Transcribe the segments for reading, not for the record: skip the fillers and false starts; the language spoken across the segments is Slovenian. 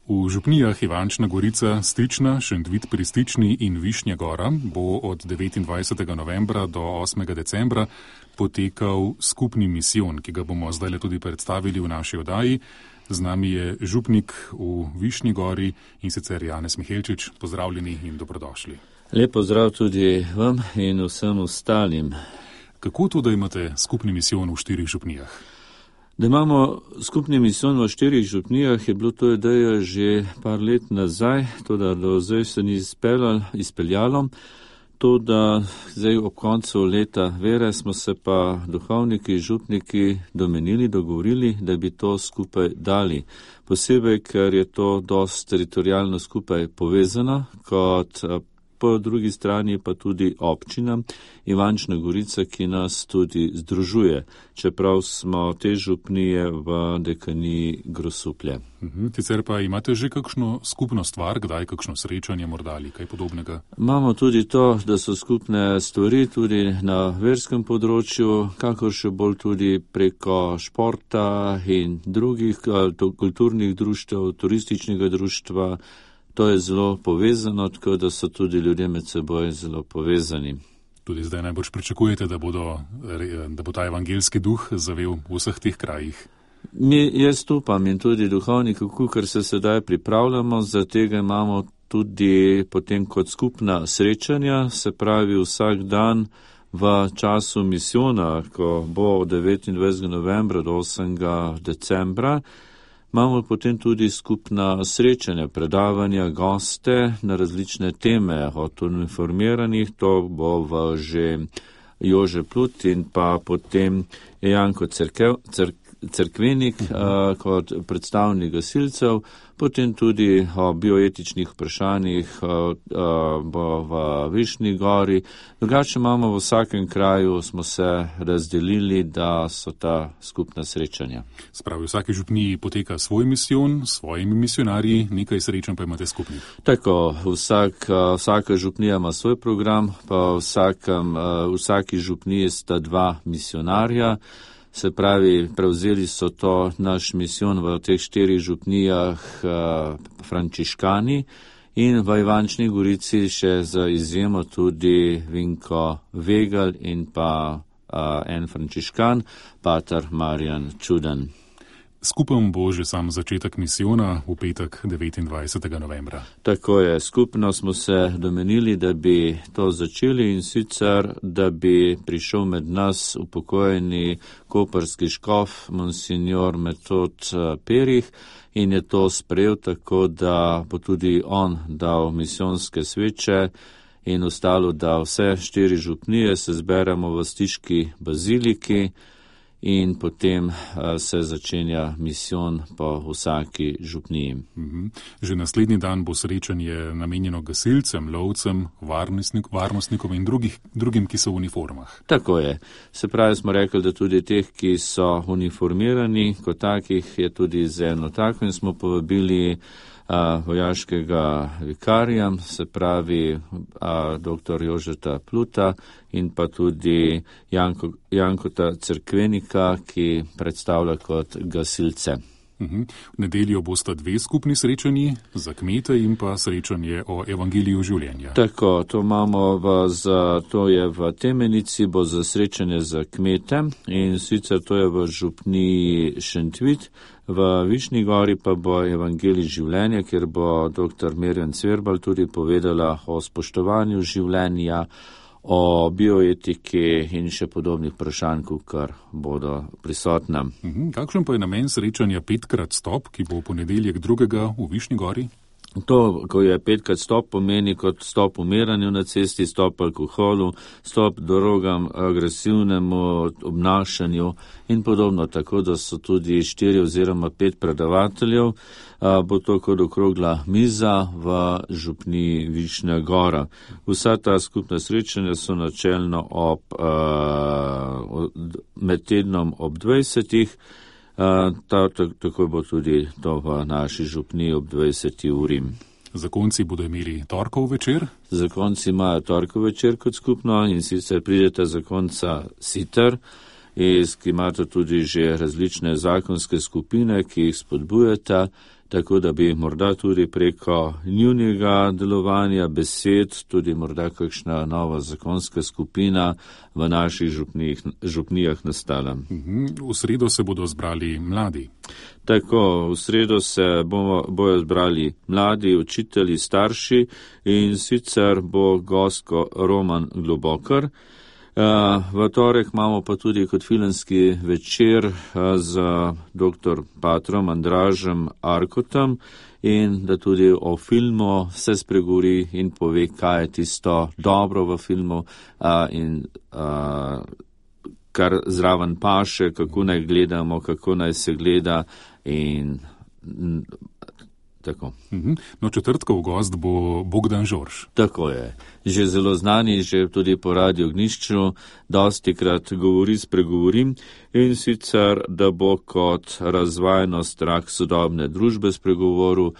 V župnijah Ivančna Gorica, Stična, Šentvid pri Stični in Višnja Gora bo od 29. novembra do 8. decembra potekal skupni misijon, ki ga bomo zdaj tudi predstavili v naši oddaji. Z nami je župnik v Višnji Gori in sicer Janez Mihelčič. Pozdravljeni in dobrodošli. Lep pozdrav tudi vam in vsem ostalim. Kako to, da imate skupni misijon v 4 župnijah? Da imamo skupni misijon v 4 župnijah, je bilo to ideja že par let nazaj, to da do zdaj se ni izpeljalo. To da zdaj ob koncu leta vere smo se pa duhovniki, župniki dogovorili, da bi to skupaj dali. Posebej, ker je to dosti teritorijalno skupaj povezano, kot po drugi strani pa tudi občina Ivančna Gorica, ki nas tudi združuje, čeprav smo te župnije v dekaniji Grosuplje. Sicer pa imate že kakšno skupno stvar, kdaj kakšno srečanje morda ali kaj podobnega? Imamo tudi to, da so skupne stvari tudi na verskem področju, kakor še bolj tudi preko športa in drugih kulturnih društev, turističnega društva. To je zelo povezano, tako da so tudi ljudje med seboj zelo povezani. Tudi zdaj najbolj pričakujete, da bo ta evangelski duh zavel v vseh teh krajih? Jaz upam in tudi duhovniki, ker se sedaj pripravljamo, za tega imamo tudi potem kot skupna srečanja, se pravi vsak dan v času misijona, ko bo od 29. novembra do 8. decembra, imamo potem tudi skupna srečanja, predavanja, goste na različne teme, od uniformiranih, to bo že Jože Plut in pa potem Janko Cerkvenik kot predstavnik gasilcev, potem tudi o bioetičnih vprašanjih bo v Višnji Gori. Drugače imamo v vsakem kraju, smo se razdelili, da so ta skupna srečanja. Spravi, v vsaki župniji poteka svoj misijon, s svojimi misionarji, nekaj srečanj pa imate skupnih. Tako, vsaka župnija ima svoj program, pa v vsaki župniji sta 2 misionarja. Se pravi, prevzeli so to naš misijon v teh 4 župnijah frančiškani in v Ivančni Gorici še za izjemo tudi Vinko Vegal in pa en frančiškan, pater Marjan Čudan. Skupaj bo že sam začetek misijona v petek 29. novembra. Tako je, skupno smo se domenili, da bi to začeli in sicer, da bi prišel med nas upokojeni koprski škof monsignor Metod Perih in je to sprejel tako, da bo tudi on dal misijonske sveče in ostalo, da vse 4 župnije se zberemo v Stiški baziliki in potem se začenja misijon po vsaki župniji. Že naslednji dan bo srečanje namenjeno gasilcem, lovcem, varnostnikom in drugim, ki so v uniformah. Tako je. Se pravi, smo rekli, da tudi teh, ki so uniformirani, kot takih je tudi z eno tako in smo povabili vojaškega vikarija, se pravi dr. Jožeta Pluta in pa tudi Jankota Cerkvenika, ki predstavlja kot gasilce. V nedeljo bosta 2 skupni srečanji za kmete in pa srečanje o evangeliju življenja. Tako, to je v Temenici, bo za srečanje za kmete in sicer to je v župniji Šentvid, v Višnji Gori pa bo evangelij življenja, kjer bo dr. Mirjam Cverbal tudi povedala o spoštovanju življenja, o bioetiki in še podobnih vprašanj, kar bodo prisotna. Kakšen pa je namen srečanja 5x stop, ki bo v ponedeljek 2. v Višnji Gori? To, ko je 5x stop, pomeni kot stop umiranju na cesti, stop alkoholu, stop drogam, agresivnemu obnašanju in podobno, tako da so tudi 4 oziroma 5 predavateljev. Bo to kot okrogla miza v župniji Višnja Gora. Vsa ta skupna srečanja so načelno med tednom ob 20. Tako bo tudi to v naši župniji ob 20. uri. Zakonci bodo imeli torkov večer? Zakonci imajo torkov večer kot skupno in sicer pridete zakonca Siter, ki imate tudi že različne zakonske skupine, ki jih spodbujata, tako da bi morda tudi preko njunega delovanja besed, tudi morda kakšna nova zakonska skupina v naših župnijah nastala. V sredo se bodo zbrali mladi. Tako, v sredo se bojo zbrali mladi, učitelji, starši in sicer bo gostko Roman Globokar. V torek imamo pa tudi kot filmski večer z dr. Patrom Andražem Arkotom in da tudi o filmu se spregovori in pove, kaj je tisto dobro v filmu in kar zraven paše, kako naj gledamo, kako naj se gleda in tako. No, četrtkov gost bo Bogdan Žorž. Tako je. Že zelo znani, že tudi po Radiu Ognjišču dostikrat spregovorim in sicer, da bo kot razvajnost rak sodobne družbe spregovoril.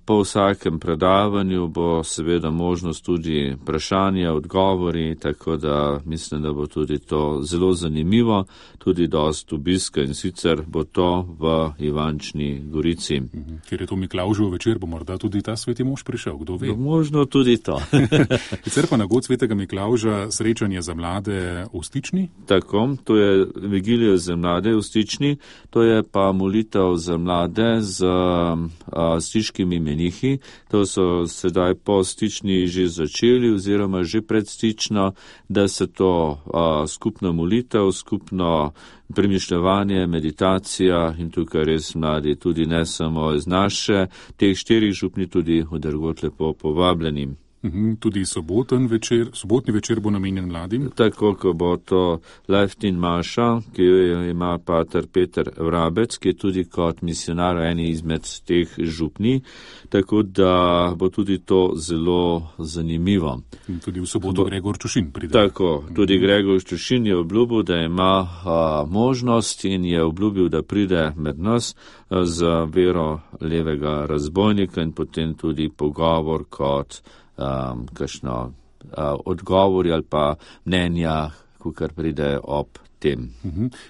Po vsakem predavanju bo seveda možnost tudi vprašanja, odgovori, tako da mislim, da bo tudi to zelo zanimivo, tudi dost obiska in sicer bo to v Ivančni Gorici. Ker je to Miklavžev večer, bo morda tudi ta sveti mož prišel, kdo ve? Možno tudi to. Sicer pa na god svetega Miklavža srečanje za mlade v Stični? Tako, to je vigilija za mlade v Stični, to je pa molitev za mlade z stiškimi menihi. To so sedaj po Stični že začeli oziroma že pred Stično, da se to skupna molitev, skupno premišljevanje, meditacija in tukaj res mladi, tudi ne samo iz naše, teh 4 župni tudi v drugod lepo povabljeni. Tudi sobotni večer bo namenjen mladim. Tako, ko bo to Leftin Maša, ki jo ima pater Peter Vrabec, ki je tudi kot misionar eni izmed teh župni, tako da bo tudi to zelo zanimivo. In tudi v soboto Gregor Čušin pride. Tako, tudi Gregor Čušin je obljubil, da ima možnost in je obljubil, da pride med nas z vero levega razbojnika in potem tudi pogovor kot kakšno odgovori ali pa mnenja, kar pride ob tem.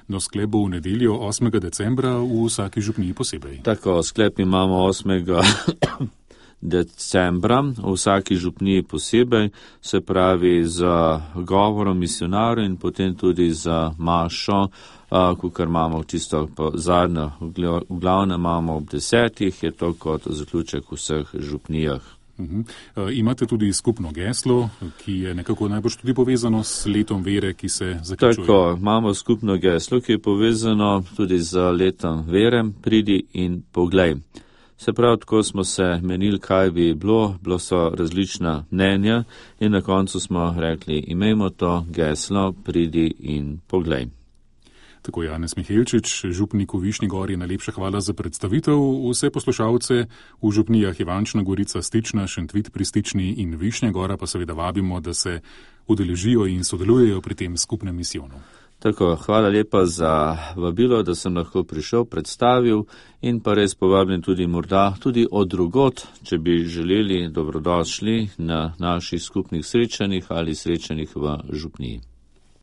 No, sklep bo v nedeljo 8. decembra v vsaki župniji posebej. Tako, sklep imamo 8. decembra v vsaki župniji posebej, se pravi za govorom misionarja in potem tudi za mašo, kar imamo tisto zadnjo, v glavnem imamo ob 10, je to kot zaključek v vseh župnijah. Imate tudi skupno geslo, ki je nekako najbolj tudi povezano s letom vere, ki se zaključuje. Tako, imamo skupno geslo, ki je povezano tudi z letom vere, pridi in poglej. Se pravi, tako smo se menili, kaj bi bilo so različna mnenja in na koncu smo rekli, imejmo to geslo, pridi in poglej. Tako Janez Mihelčič, župnik v Višnji Gori, najlepša hvala za predstavitev. Vse poslušalce v župnijah Ivančna Gorica, Stična, Šentvit pri Stični in Višnja Gora pa seveda vabimo, da se udeležijo in sodelujejo pri tem skupnem misijonu. Tako, hvala lepa za vabilo, da sem lahko prišel, predstavil in pa res povabim tudi morda tudi od drugot, če bi želeli, dobrodošli na naših skupnih srečanjih ali srečanjih v župniji.